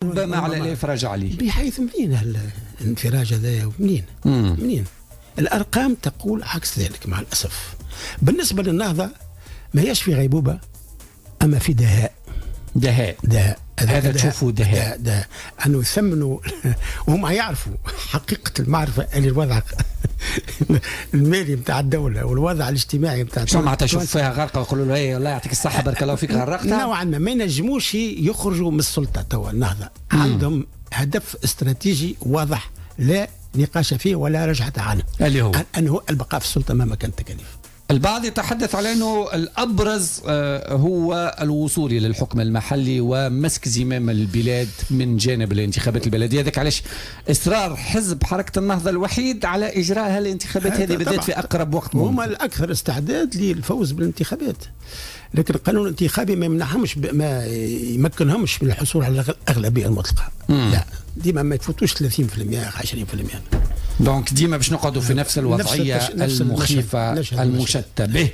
ربما على الافراج عليه. بحيث منين الانفراج هذايا؟ منين؟ منين؟ الارقام تقول عكس ذلك مع الاسف. بالنسبة للنهضه ما هيش في غيبوبة اما في دهاء. دهاء. دهاء. هذا تشوفوا دهاء. دهاء انه يثمنوا، وهم يعرفوا حقيقة المعرفة اللي الوضع المالي نتاع الدولة والوضع الاجتماعي نتاع الدولة. شو معناتها تشوف فيها غرقه ويقولوا له ايه الله يعطيك الصحة بارك الله فيك غرقتها؟ نوعا ما ما ينجموش يخرجوا من السلطة توا. النهضة عندهم هدف استراتيجي واضح لا نقاش فيه ولا رجعة عنه، اللي هو أنه البقاء في السلطة مهما كانت التكاليف. البعض يتحدث على أنه الأبرز هو الوصول إلى الحكم المحلي ومسك زمام البلاد من جانب الانتخابات البلدية. هذاك علاش إصرار حزب حركة النهضة الوحيد على إجراء هالانتخابات هذه بالذات في أقرب وقت ممكن. هما الأكثر استعداد للفوز بالانتخابات، لكن القانون الانتخابي ما يمنعهمش، ما يمكنهمش من الحصول على الأغلبية المطلقة. لا، ديما ما يفوتوش 30% 20%. donc ديما باش نقعدوا في نفس الوضعية، نفس المخيفة المشتتة به.